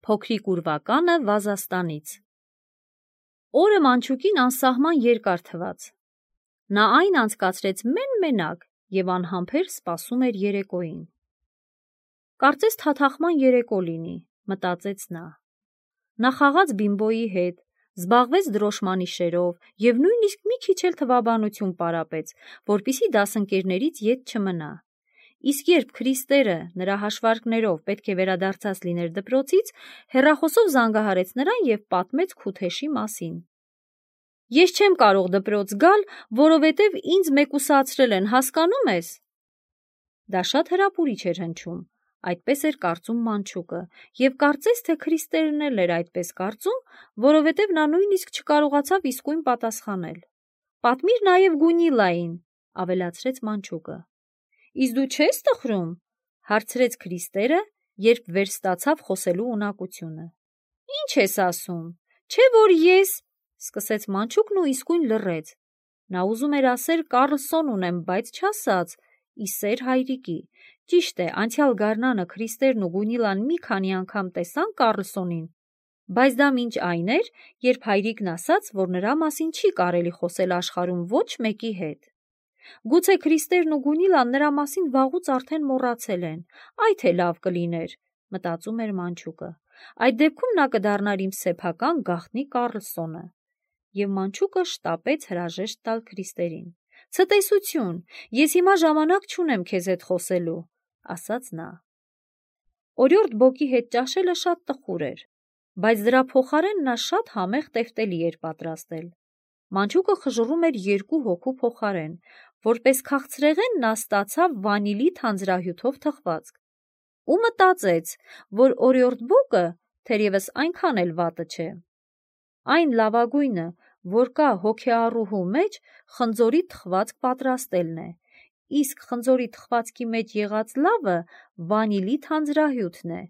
Փոքրիկ ուրվականը Վազաստանից։ Օրը Մանչուկին անսահման երկար թվաց։ Նա այն անցկացրեց մեն-մենակ և անհամբեր սպասում էր երեկոյին։ Կարծես թաթախման երեկո լինի, մտածեց նա։ Նա խաղաց Բիմբոյի հետ, զբաղվեց դրոշմանիշերով և նույնիսկ մի քիչ էլ թվաբանություն պարապեց, որպեսզի դասընկերներից ետ չմնա։ Իսկ երբ Քրիստերը նրա հաշվարկներով պետք է վերադարձած լիներ դպրոցից, հեռախոսով զանգահարեց նրան և պատմեց Քութեշի մասին։ Ես չեմ կարող դպրոց գալ, որովհետև ինձ մեկուսացրել են, հասկանում ես։ Դա շատ հրապուրիչ էր հնչում, այդպես էր կարծում Մանչուկը, և կարծես թե Քրիստերն էլ էր այդպես կարծում, որովհետև նա նույնիսկ չկարողացավ իսկույն պատասխանել։ Պատմիր նաև Գունիլային, ավելացրեց Մանչուկը։ Իսկ դու չես տխրում, հարցրեց Քրիստերը, երբ վերստացավ խոսելու ունակությունը։ Ինչ ես ասում, չէ՞ որ ես, սկսեց Մանչուկն ու իսկույն լռեց։ Նա ուզում էր ասել Կառլսոն ունեմ, բայց չասաց, ի սեր հայրիկի։ Ճիշտ է, անցյալ գարնանը Քրիստերն ու Գունիլան մի քանի անգամ տեսան Կառլսոնին, բայց դա մինչ այն էր, երբ հայրիկն ասաց, որ նրա մասին չի կարելի խոսել աշխարհում ոչ մեկի հետ։ Գուցե Քրիստերն ու Գունիլան նրա մասին վաղուց արդեն մոռացել են, այ թե լավ կլիներ, մտածում էր Մանչուկը։ Այդ դեպքում նա կդառնար իմ սեփական գաղտնի Կառլսոնը։ Եվ Մանչուկը շտապեց հրաժեշտ տալ Քրիստերին։ Ցտեսություն, ես հիմա ժամանակ չունեմ քեզ հետ խոսելու, ասաց նա։ Օրիորդ Բոկի հետ ճաշելը շատ տխուր էր, բայց դրա փոխարեն նա շատ համեղ տեֆտելի էր պատրաստել։ Մանչուկը խժռում էր 2 հոգու փոխարեն, որպես քաղցրեղեն նա ստացավ վանիլի թանձրահյութով թխվածք։ Ու մտածեց, որ օրիորդ Բոկը թերևս այնքան էլ վատը չէ։ Այն լավագույնը, որ կա հոգեառուհու մեջ, խնձորի թխվածք պատրաստելն է, իսկ խնձորի թխվածքի մեջ եղած լավը վանիլի թանձրահյութն է,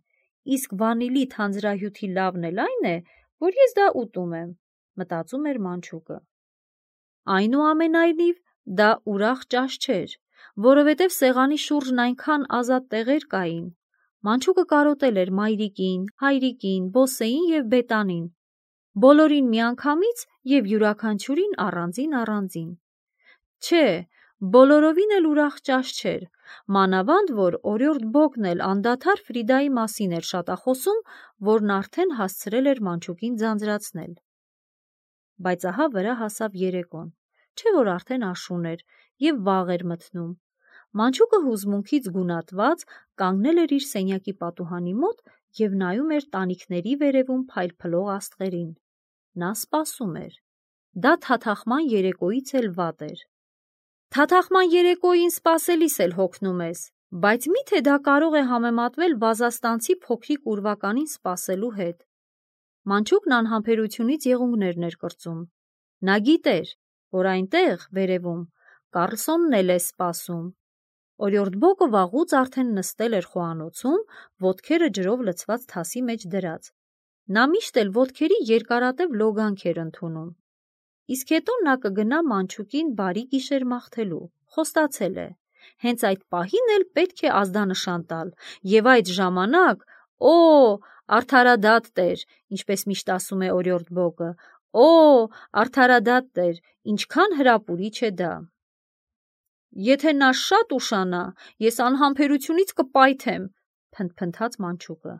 իսկ վանիլի թանձրահյութի լավն էլ այն է, որ ես դա ուտում եմ, մտածում էր Մանչուկը։ Այնուամենայնիվ, դա ուրախ ճաշ չէր, որովհետև սեղանի շուրջն այնքան ազատ տեղեր կային։ Մանչուկը կարոտել էր մայրիկին, հայրիկին, բոսեին և բետանին, բոլորին միանգամից և յուրաքանչյուրին առանձին։ Չէ, բոլորովին էլ ուրախ ճաշ չէր, մանավանդ որ օրիորդ Բոկն էլ անդադար Ֆրիդայի մասին էր շատախոսում, որն արդեն հասցրել էր Մանչուկին ձանձրացնել։ Բայց ահա վրա հասավ երեկոն, չէ որ արդեն աշուն էր և վաղ էր մթնում։ Մանչուկը հուզմունքից գունատված կանգնել էր իր սենյակի պատուհանի մոտ և նայում էր տանիքների վերևում փայլփլող աստղերին։ Նա սպասում էր։ Դա թաթախման երեկոյից էլ վատ էր։ Թաթախման երեկոյին սպասելիս էլ հոգնում ես, բայց մի՞թե դա կարող է համեմատվել վազաստանցի փոքրիկ ուրվականին սպասելու հետ։ Մանչուկն անհամբերությունից եղունգներն էր կրծում։ Նա գիտեր, որ այնտեղ, վերևում, Կառլսոնն էլ է սպասում։ Օրիորդ Բոկը վաղուց արդեն նստել էր խոհանոցում, ոտքերը ջրով լցված թասի մեջ դրած։ Նա միշտ էլ ոտքերի երկարատև լոգանք էր ընդունում։ Իսկ հետո նա կգնա Մանչուկին բարի գիշեր մաղթելու, խոստացել է։ Հենց այդ պահին էլ պետք է ազդանշան տալ, և այդ ժամանակ, արդարադատ Տեր, ինչպես միշտ ասում է օրիորդ Բոկը, արդարադատ Տեր, ինչքան հրապուրիչ է դա։ Եթե նա շատ ուշանա, ես անհամբերությունից կպայթեմ, փնթփնթաց Մանչուկը։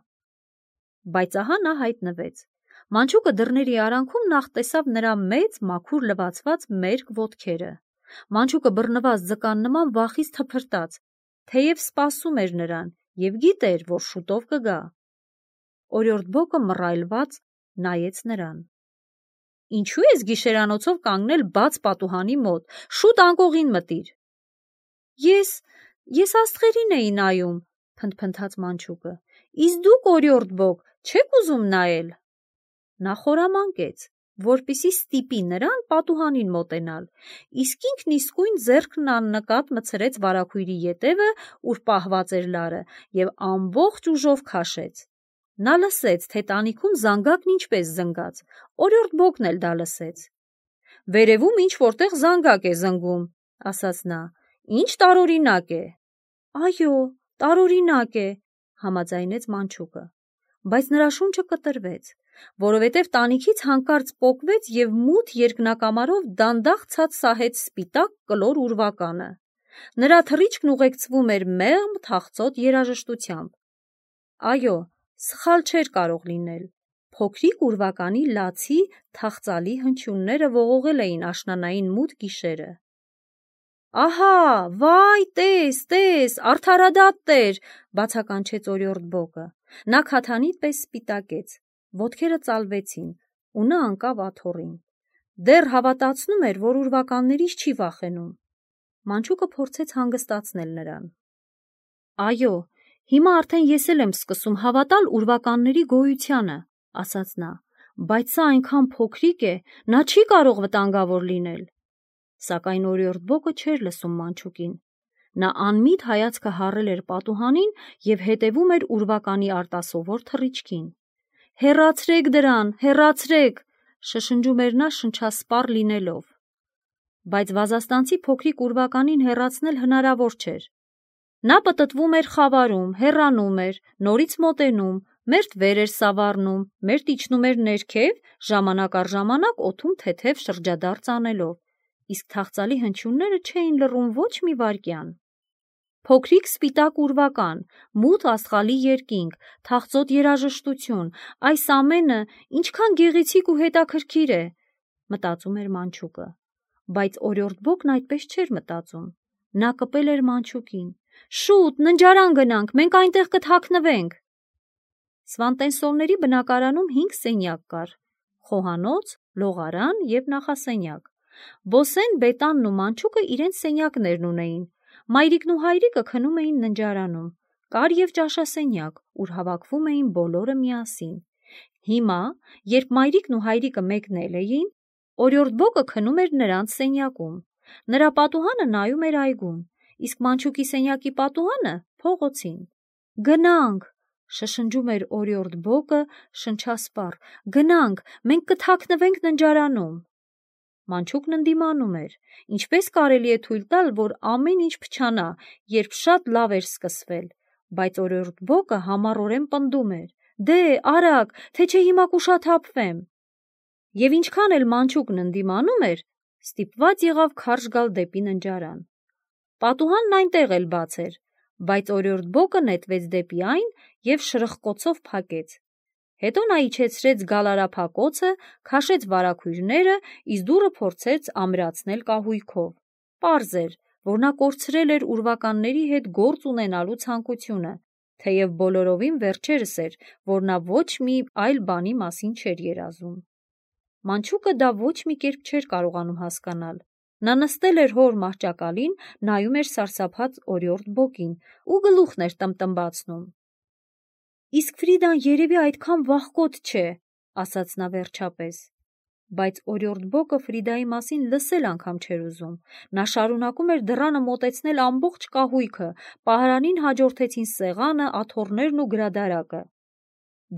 Բայց ահա նա հայտնվեց։ Մանչուկը դռների արանքում նախ տեսավ նրա մեծ, մաքուր լվացված մերկ ոտքերը։ Մանչուկը բռնված ձկան նման վախից թփրտաց, թեև սպասում էր նրան և գիտեր, որ շուտով կգա։ Օրիորդ Բոկը մռայլված նայեց նրան։ Ինչու ես գիշերանոցով կանգնել բաց պատուհանի մոտ, շուտ անկողին մտիր։ Ես աստղերին էի նայում, փնթփնթաց Մանչուկը։ Իսկ դուք, օրիորդ Բոկ, չեք ուզում նայել։ Նա խորամանկեց, որպեսզի ստիպի նրան պատուհանին մոտենալ, իսկ ինքն իսկույն ձեռքն աննկատ մտցրեց վարագույրի ետևը, ուր պահված էր լարը, և ամբողջ ուժով քաշեց։ Նա լսեց, թե տանիքում զանգակն ինչպես զնգաց, օրիորդ Բոկն էլ դա լսեց։ Վերևում ինչ-որտեղ զանգակ է զնգում, ասաց նա, ինչ տարօրինակ է։ Այո, տարօրինակ է, համաձայնեց Մանչուկը։ բայց նրա շունչը կտրվեց, որովհետև տանիքից հանկարծ պոկվեց և մութ երկնակամարով դանդաղ ցած սահեց սպիտակ կլոր ուրվականը։ Նրա թռիչքն ուղեկցվում էր մեղմ թախծոտ երաժշտությամբ։ Այո, սխալ չէր կարող լինել։ Փոքրիկ ուրվականի լացի թախծալի հնչյունները ողողել էին աշնանային մութ գիշերը։ Ահա, վայ, տես, արդարադատ Տեր, բացականչեց օրիորդ Բոկը։ Նա քաթանիտ պես սպիտակեց, ոտքերը ծալվեցին, ու նա ընկավ աթոռին։ Դեռ հավատացնում էր, որ ուրվականներից չի վախենում։ Մանչուկը փորձեց հանգստացնել նրան։ Այո, հիմա արդեն ես էլ եմ սկսում հավատալ ուրվականների գոյությանը, ասաց նա, բայց սա այնքան փոքրիկ է, նա չի կարող վտանգավոր լինել։ Սակայն օրիորդ Բոկը չէր լսում մանչուկին։ Նա անմիտ հայացքը հառել էր պատուհանին և հետևում էր ուրվականի արտասովոր թռիչքին։ Հեռացրեք դրան, հեռացրեք, շշնջում էր նա շնչասպառ լինելով։ Բայց վազաստանցի փոքրիկ ուրվականին հեռացնել հնարավոր չէր։ Նա պտտվում էր խավարում, հեռանում էր, նորից մոտենում, մերթ վեր էր սավառնում, մերթ իջնում էր ներքև, ժամանակ առ ժամանակ օդում թեթև շրջադարձ անելով, իսկ թախծալի հնչյունները չէին լռում ոչ մի վայրկյան։ Փոքրիկ սպիտակ ուրվական, մութ աստղալի երկինք, թախծոտ երաժշտություն, այս ամենը ինչքան գեղեցիկ ու հետաքրքիր է, մտածում էր մանչուկը։ Բայց օրիորդ Բոկն այդպես չէր մտածում։ Նա կպել էր մանչուկին. «Շուտ, ննջարան գնանք, մենք այնտեղ կթաքնվենք»։ Սվանտենսովների բնակարանում 5 սենյակ կար՝ խոհանոց, լողարան և նախասենյակ։ Բոսեն, Բետանն ու մանչուկը իրենց սենյակներն ունեին։ Մայրիկն ու հայրիկը քնում էին ննջարանում։ Կար և ճաշասենյակ, ուր հավաքվում էին բոլորը միասին։ Հիմա, երբ մայրիկն ու հայրիկը մեկնել էին, օրիորդ Բոկը քնում էր նրանց սենյակում։ Նրա պատուհանը նայում էր այգուն, իսկ մանչուկի սենյակի պատուհանը՝ փողոցին։ «Գնանք», շշնջում էր օրիորդ Բոկը շնչասպառ, «գնանք, մենք կթաքնվենք ննջարանում»։ Մանչուկն ընդդիմանում էր։ Ինչպես կարելի է թույլ տալ, որ ամեն ինչ փչանա, երբ շատ լավ էր սկսվել, բայց օրիորդ Բոկը համառորեն պնդում էր. «Դե, արագ, թե չէ հիմա կուշաթափվեմ»։ Եվ ինչքան էլ մանչուկն ընդդիմանում էր, ստիպված եղավ քարշ գալ դեպի ննջարան։ Պատուհանն այնտեղ էլ բաց էր, բայց օրիորդ Բոկը նետվեց դեպի այն և շրխկոցով փակեց։ Հետո նա իջեցրեց գալարափակոցը, քաշեց վարագույրները, իսկ դուռը փորձեց ամրացնել կահույքով։ Պարզ էր, որ նա կորցրել էր ուրվականների հետ գործ ունենալու ցանկությունը, թեև բոլորովին վերջերս էր, որ նա ոչ մի այլ բանի մասին չէր երազում։ Մանչուկը դա ոչ մի կերպ չէր կարողանում հասկանալ։ Նա նստել էր հոր մահճակալին, նայում էր սարսափած օրիորդ Բոկին ու գլուխն էր տմտմբացնում։ «Իսկ Ֆրիդան երևի այդքան վախկոտ չէ», ասաց նա վերջապես։ Բայց օրիորդ Բոկը Ֆրիդայի մասին լսել անգամ չէր ուզում։ Նա շարունակում էր դռանը մոտեցնել ամբողջ կահույքը, պահարանին հաջորդեցին սեղանը, աթոռներն ու գրադարակը։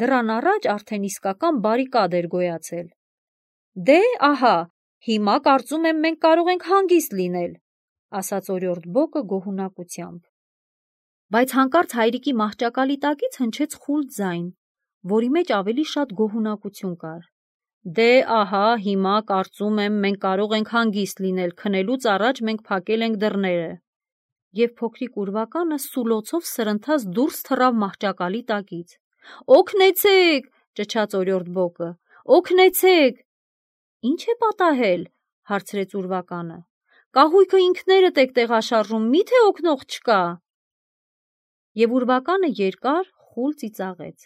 Դռան առաջ արդեն իսկական բարիկադ էր գոյացել։ «Դե, ահա, հիմա կարծում եմ մենք կարող ենք հանգիստ լինել», ասաց օրիորդ Բոկը գոհունակությամբ։ Բայց հանկարծ հայրիկի մահճակալի տակից հնչեց խուլ ձայն, որի մեջ ավելի շատ գոհունակություն կար։ «Դե, ահա, հիմա կարծում եմ մենք կարող ենք հանգիստ լինել, քնելուց առաջ մենք փակել ենք դռները»։ Եվ փոքրիկ ուրվականը սուլոցով սրընթաց դուրս թռավ մահճակալի տակից։ «Օգնեցե՛ք», ճչաց օրիորդ Բոկը, «օգնեցե՛ք»։ «Ինչ է պատահել», հարցրեց ուրվականը։ «Կահույքը ինքներդ եք տեղաշարժում, մի՞թե օգնող չկա»։ Եվ ուրվականը երկար խուլ ծիծաղեց,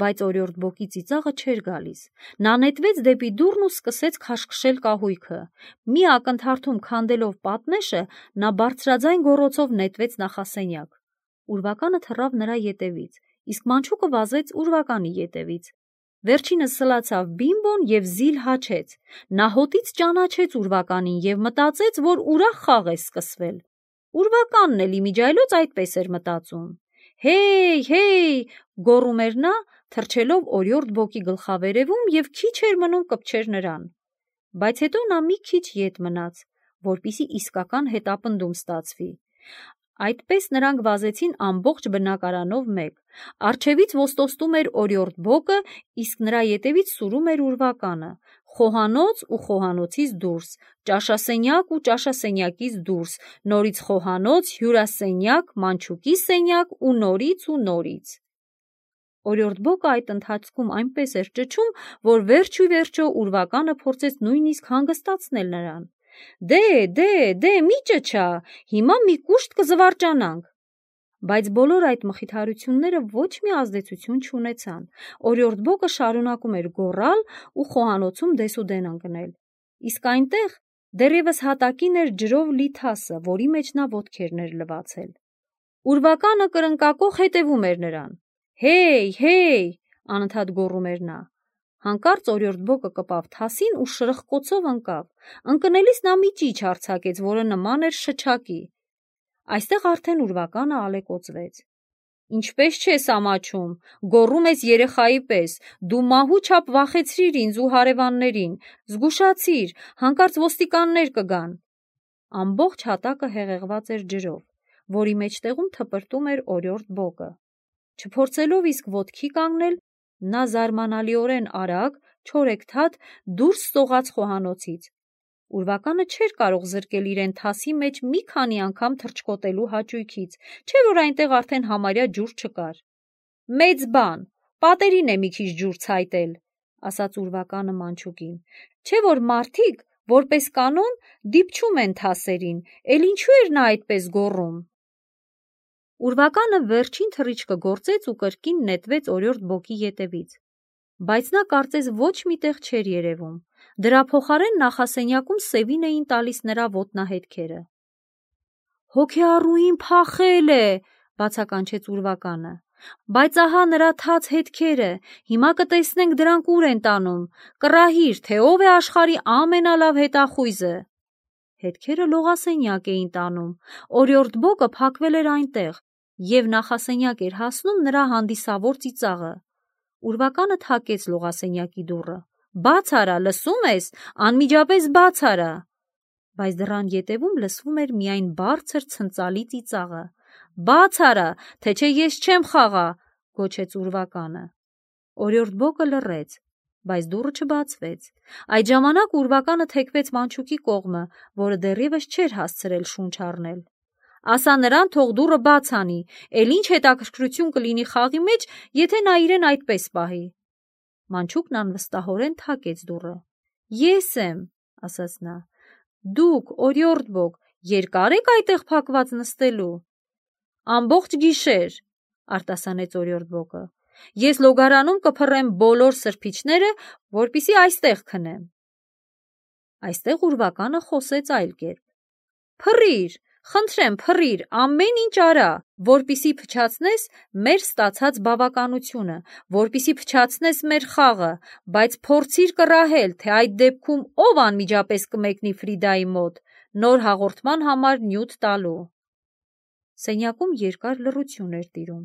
բայց օրիորդ Բոկի ծիծաղը չէր գալիս։ Նա նետվեց դեպի դուռն ու սկսեց քաշքշել կահույքը։ Մի ակնթարթում քանդելով պատնեշը, նա բարձրաձայն գոռոցով նետվեց նախասենյակ։ Ուրվականը թռավ նրա ետևից, իսկ մանչուկը վազեց ուրվականի ետևից։ Վերջինս սլացավ Բիմբոն և զիլ հաչեց։ Նա հոտից ճանաչեց ուրվականին և մտածեց, որ ուրախ խաղ է սկսվել։ Ուրվականն էլ իմիջիայլոց այդպես էր մտածում։ «Հեյ, հեյ», գոռում էր նա, թռչելով օրիորդ Բոկի գլխավերևում և քիչ էր մնում կպչեր նրան։ Բայց հետո նա մի քիչ ետ մնաց, որպեսզի իսկական հետապնդում ստացվի։ Այդպես նրանք վազեցին ամբողջ բնակարանով մեկ։ Առջևից ոստոստում էր օրիորդ բոկը, իսկ նրա ետևից սուրում էր ուրվականը, խոհանոց ու խոհանոցից դուրս, ճաշասենյակ ու ճաշասենյակից դուրս, նորից խոհանոց, հյուրասենյակ, մանչուկի սենյակ ու նորից։ Օրիորդ բոկը այդ ընթացքում այնպես էր ճչում, որ վերջո ուրվականը փորձեց նույնիսկ հանգստացնել նրան։ Դե, մի ճչա, հիմա մի կուշտ կզվարճանանք։ Բայց բոլոր այդ մխիթարությունները ոչ մի ազդեցություն չունեցան։ Օրիորդ բոկը շարունակում էր գոռալ ու խոհանոցում դեսուդեն ընկնել։ Իսկ այնտեղ դեռևս հատակին էր ջրով լի թասը, որի մեջ նա ոտքերն էր լվացել։ Ուրվականը կրնկակոխ հետևում էր նրան։ Հեյ, անընդհատ գոռում էր նա։ Հանկարծ օրիորդ բոկը կպավ թասին ու շրխկոցով ընկավ։ Ընկնելիս նա մի ճիչ արձակեց, որը նման էր շչակի։ Այստեղ արդեն ուրվականը ալեկոծվեց։ Ինչպես չես ամաչում, գոռում ես երեխայի պես, դու մահու չափ վախեցրիր ինձ ու հարևաններին, զգուշացիր, հանկարծ ոստիկաններ կգան։ Ամբողջ հատակը հեղեղված էր ջրով, որի մեջտեղում թպրտում էր օրիորդ բոկը։ Չփորձելով իսկ ոտքի կանգնել, նա զարմանալիորեն արագ, չորեքթաթ դուրս սողաց խոհանոցից։ Ուրվականը չէր կարող զրկել իրեն թասի մեջ մի քանի անգամ թռչկոտելու հաճույքից, չէ՞ որ այնտեղ արդեն համարյա ջուր չկար։ Մեծ բան, պատերին է մի քիչ ջուր ցայտել, ասաց ուրվականը մանչուկին, չէ՞ որ մարդիկ, որպես կանոն, դիպչում են թասերին, էլ ինչու էր նա այդպես գոռում։ Ուրվականը վերջին թռիչքը գործեց ու կրկին նետվեց օրիորդ բոկի ետևից, բայց նա կարծես ոչ միտեղ չէր երևում, դրա փոխարեն նախասենյակում սևին էին տալիս նրա ոտնահետքերը։ Հոգեառուին փախել է, բացականչեց ուրվականը, բայց ահա նրա թաց հետքերը, հիմա կտեսնենք դրանք ուր են տանում, կռահիր, թե ով է աշխարհի ամենալավ հետախույզը։ Հետքերը լողասենյակ էին տանում, օրիորդ բոկը փակվել էր այնտեղ, և նախասենյակ էր հասնում նրա հանդիսավոր ծիծաղը։ Ուրվականը թակեց լողասենյակի դուռը։ Բաց արա, լսում ես, անմիջապես բաց արա։ Բայց դռան ետևում լսվում էր միայն բարձր ցնծալի ծիծաղը։ Բաց արա, թե չէ ես չեմ խաղա, գոչեց ուրվականը։ Օրիորդ բոկը լռեց, բայց դուռը չբացվեց։ Այդ ժամանակ ուրվականը թեքվեց մանչուկի կողմը, որը դեռևս չէր հասցրել շունչ առնել։ Ասա նրան թող դուռը բաց անի, էլ ինչ հետաքրքրություն կլինի խաղի մեջ, եթե նա իրեն այդպես պահի։ Մանչուկն անվստահորեն թակեց դուռը։ Ես եմ, ասաց նա։ Դուք, օրիորդ բոկ, երկար եք այդտեղ փակված նստելու։ Ամբողջ գիշեր, արտասանեց օրիորդ բոկը։ Ես լոգարանում կփռեմ բոլոր սրբիչները, որպեսզի այստեղ քնեմ։ Այստեղ ուրվականը խոսեց այլ կերպ։ Փռիր, խնդրեմ, փռիր, ամեն ինչ արա, որպեսզի փչացնես մեր ստացած բավականությունը, որպեսզի փչացնես մեր խաղը, բայց փորձիր կռահել, թե այդ դեպքում ով անմիջապես կմեկնի Ֆրիդայի մոտ, նոր հաղորդման համար նյութ տալու։ Սենյակում երկար լռություն էր տիրում։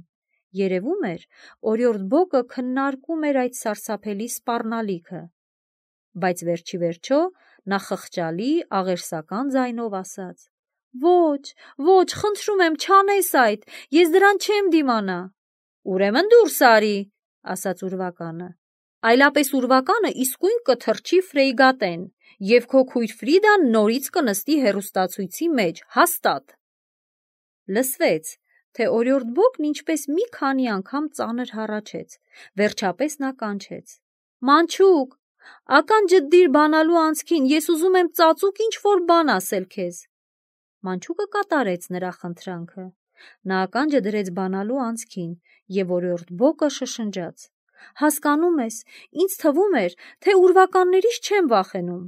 Երևում էր, օրիորդ բոկը քննարկում էր այդ սարսափելի սպառնալիքը, բայց վերջիվերջո նա խղճալի, աղերսական ձայնով ասաց. Ոչ, խնդրում եմ, չանես այդ, ես դրան չեմ դիմանա։ Ուրեմն դուրս արի, ասաց ուրվականը։ Այլապես ուրվականը իսկույն կթռչի Ֆրեյգատեն, և քո քույր Ֆրիդան նորից կնստի հեռուստացույցի մեջ, հաստատ։ Լսվեց, թե օրիորդ բոկն ինչպես մի քանի անգամ ծանր հառաչեց, վերջապես նա կանչեց. Մանչուկ, ական ջդիր բանալու անցքին, ես ուզում եմ ծածուկ ինչ-որ բան ասել քեզ։ Մանչուկը կատարեց նրա խնդրանքը։ Նա ականջը դրեց բանալու անցքին, և օրիորդ բոկը շշնջաց. Հասկանում ես, ինձ թվում էր, թե ուրվականներից չեմ վախենում,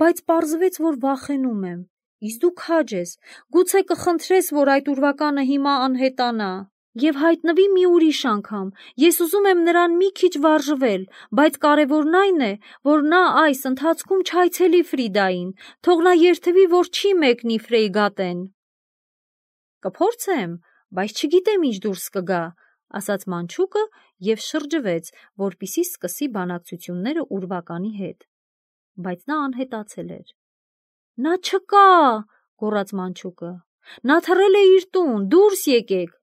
բայց պարզվեց, որ վախենում եմ, իսկ դու քաջ ես, գուցե կխնդրես, որ այդ ուրվականը հիմա անհետանա և հայտնվի մի ուրիշ անգամ, ես ուզում եմ նրան մի քիչ վարժվել, բայց կարևորն այն է, որ նա այս ընթացքում չայցելի Ֆրիդային, թող նա երդվի, որ չի մեկնի Ֆրեյգատեն։ Կփորձեմ, բայց չգիտեմ ինչ դուրս կգա, ասաց մանչուկը և շրջվեց, որպեսզի սկսի բանակցությունները ուրվականի հետ, բայց նա անհետացել էր։ Նա չկա, գոռաց մանչուկը։ Նա թռել է իր տուն, դուրս եկեք։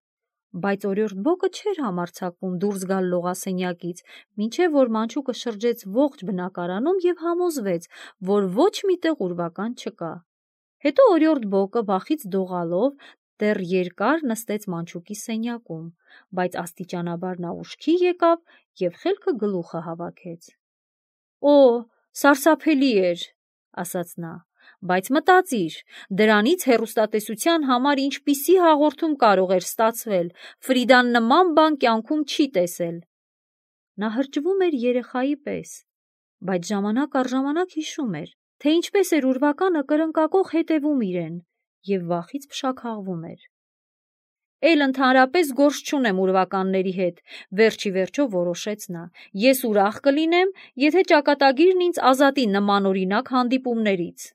Բայց օրիորդ բոկը չէր համարձակվում դուրս գալ լողասենյակից, մինչև որ մանչուկը շրջեց ողջ բնակարանում և համոզվեց, որ ոչ մի տեղ ուրվական չկա։ Հետո օրիորդ բոկը վախից դողալով դեռ երկար նստեց մանչուկի սենյակում, բայց աստիճանաբար նա ուշքի եկավ և խելքը գլուխը հավաքեց։ «Օ, սարսափելի էր», ասաց նա, բայց մտածիր, դրանից հեռուստատեսության համար ինչպիսի հաղորդում կարող էր ստացվել, Ֆրիդան նման բան կյանքում չի տեսել։ Նա հրճվում էր երեխայի պես, բայց ժամանակ առ ժամանակ հիշում էր, թե ինչպես էր ուրվականը կրնկակոխ հետևում իրեն և վախից փշաքաղվում էր։ «Էլ ընդհանրապես գործ չունեմ ուրվականների հետ», վերջի վերջո որոշեց նա։ «Ես ուրախ կլինեմ, եթե ճակատագիրն ինձ ազատի նմանօրինակ հանդիպումներից»։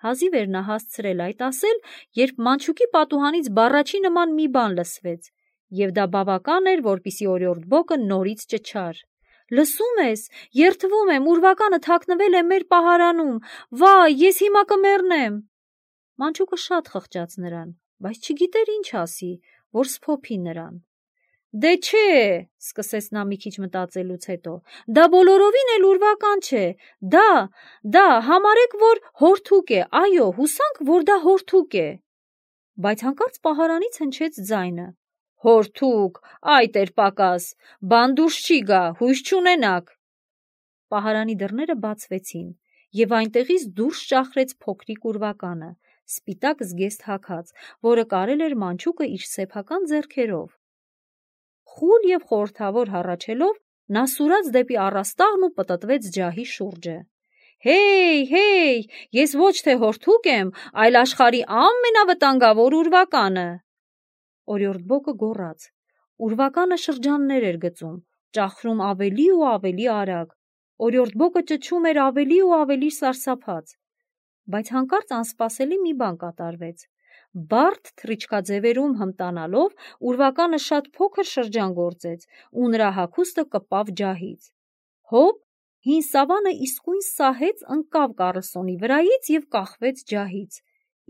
Հազիվ էր նա հասցրել այդ ասել, երբ մանչուկի պատուհանից բառաչի նման մի բան լսվեց, և դա բավական էր, որպեսզի օրիորդ բոկը նորից ճչար. «Լսում ես, երդվում եմ, ուրվականը թաքնվել է մեր պահարանում, վայ, ես հիմա կմեռնեմ»։ Մանչուկը շատ խղճաց նրան, բայց չգիտեր ինչ ասի, որ սփոփի նրան։ «Դե չէ», սկսեց նա մի քիչ մտածելուց հետո, «դա բոլորովին էլ ուրվական չէ, դա, համարեք, որ հորթուկ է, այո, հուսանք, որ դա հորթուկ է»։ Բայց հանկարծ պահարանից հնչեց ձայնը. «Հորթուկ, այ տեր-պակաս, բան դուրս չի գա, հույս չունենաք»։ Պահարանի դռները բացվեցին, և այնտեղից դուրս ճախրեց փոքրիկ ուրվականը, սպիտակ զգեստ հագած, որը կարել էր մանչուկը իր սեփական ձեռքերով։ Խուլ և խորհրդավոր հառաչելով, նա սուրաց դեպի առաստաղն ու պտտվեց ջահի շուրջը։ «Հեյ, ես ոչ թե հորթուկ եմ, այլ աշխարհի ամենավտանգավոր ուրվականը»։ Օրիորդ բոկը գոռաց։ Ուրվականը շրջաններ էր գծում, ճախրում ավելի ու ավելի արագ։ Օրիորդ բոկը ճչում էր ավելի ու ավելի սարսափած։ Բայց հանկարծ անսպասելի մի բան կատարվեց։ Բարդ թռիչքաձևերում հմտանալով, ուրվականը շատ փոքր շրջան գործեց, ու նրա հագուստը կպավ ջահից։ Հոպ, հին սավանը իսկույն սահեց, ընկավ Կառլսոնի վրայից և կախվեց ջահից,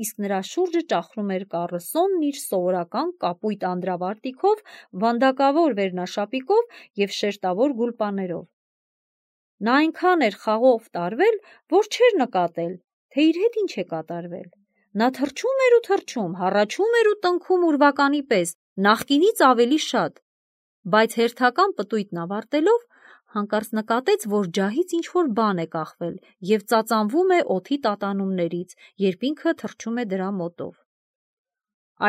իսկ նրա շուրջը ճախրում էր Կառլսոնն իր սովորական կապույտ անդրավարտիքով, վանդակավոր վերնաշապիկով և շերտավոր գուլպաներով։ Նա այնքան էր խաղով տարվել, որ չէր նկատել, թե իր հետ ինչ է կատարվել։ Նա թռչում էր ու թռչում, հառաչում էր ու տնքում ուրվականի պես, նախկինից ավելի շատ, բայց հերթական պտույտն ավարտելով, հանկարծ նկատեց, որ ջահից ինչ-որ բան է կախվել և ծածանվում է օդի տատանումներից, երբ ինքը թռչում է դրա մոտով։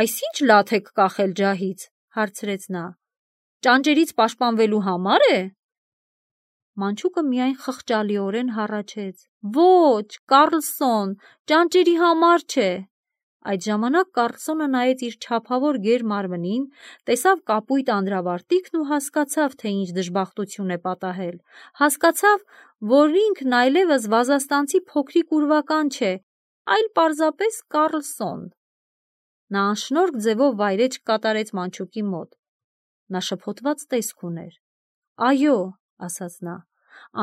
«Այս ի՞նչ լաթ եք կախել ջահից», հարցրեց նա։ «Ճանճերից պաշտպանվելու համար է»։ Մանչուկը միայն խղճալիորեն հառաչեց. «Ոչ, Կառլսոն, ճանճերի համար չէ»։ Այդ ժամանակ Կառլսոնը նայեց իր չափավոր գեր մարմնին, տեսավ կապույտ անդրավարտիքն ու հասկացավ, թե ինչ դժբախտություն է պատահել։ Հասկացավ, որ ինքն այլևս վազաստանցի փոքրիկ ուրվական չէ, այլ պարզապես Կառլսոն։ Նա անշնորհք ձևով վայրէջք կատարեց մանչուկի մոտ։ Նա շփոթված տեսք ուներ։ «Այո», ասաց նա,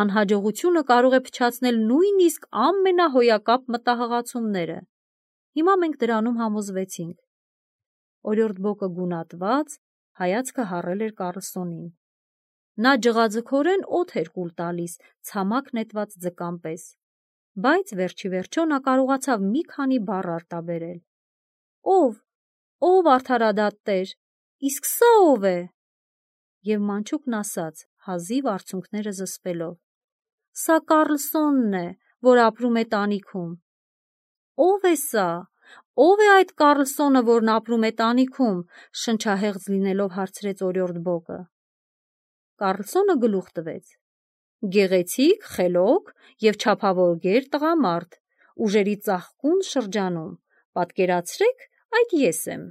«անհաջողությունը կարող է փչացնել նույնիսկ ամենահոյակապ մտահղացումները։ Հիմա մենք դրանում համոզվեցինք»։ Օրիորդ բոկը գունատված, հայացքը հառել էր Կառլսոնին։ Նա ջղաձգորեն օդ էր կուլ տալիս ցամաք նետված ձկան պես, բայց վերջի վերջո նա կարողացավ մի քանի բառ արտաբերել։ «Ով արդարադատ տեր, իսկ սա ո՞վ է»։ Եվ մանչուկն ասաց, հազիվ արցունքները զսպելով. «Սա Կառլսոնն է, որ ապրում է տանիքում»։ «Ո՞վ է սա, ո՞վ է այդ Կառլսոնը, որն ապրում է տանիքում», շնչահեղձ լինելով հարցրեց օրիորդ բոկը։ Կառլսոնը գլուխ տվեց. «Գեղեցիկ, խելոք և չափավոր գեր տղամարդ, ուժերի ծաղկուն շրջանում, պատկերացրեք, այդ ես եմ»։